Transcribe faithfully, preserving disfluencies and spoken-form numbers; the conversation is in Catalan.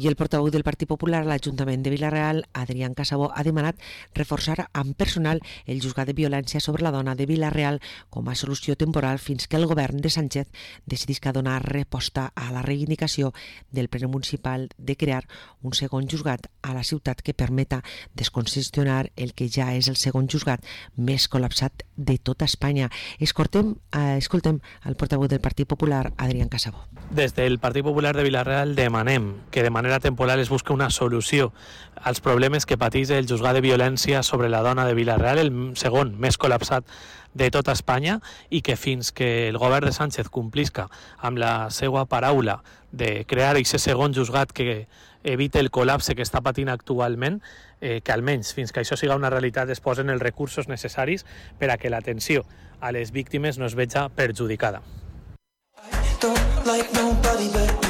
I el portaveu del Partit Popular a l'Ajuntament de Vila-real, Adrián Casabó, ha demanat reforçar amb personal el juzgat de violència sobre la dona de Vila-real com a solució temporal fins que el govern de Sánchez decidisca donar resposta a la reivindicació del ple municipal de crear un segon juzgat a la ciutat que permeta descongestionar el que ja és el segon juzgat més col·lapsat de tota Espanya. Escoltem, eh, escoltem el portaveu del Partit Popular, Adrián Casabó. Des del Partit Popular de Vila-real demanem que de manera temporal es busqui una solució als problemes que pateix el juzgat de violència sobre la dona de Vila-real, el segon més col·lapsat de tota Espanya, i que fins que el govern de Sánchez complisca amb la seva paraula de crear aquest segon juzgat que evite el col·lapse que està patint actualment, eh, que almenys fins que això siga una realitat es posen els recursos necessaris per a que l'atenció a les víctimes no es veja perjudicada. Don't like nobody but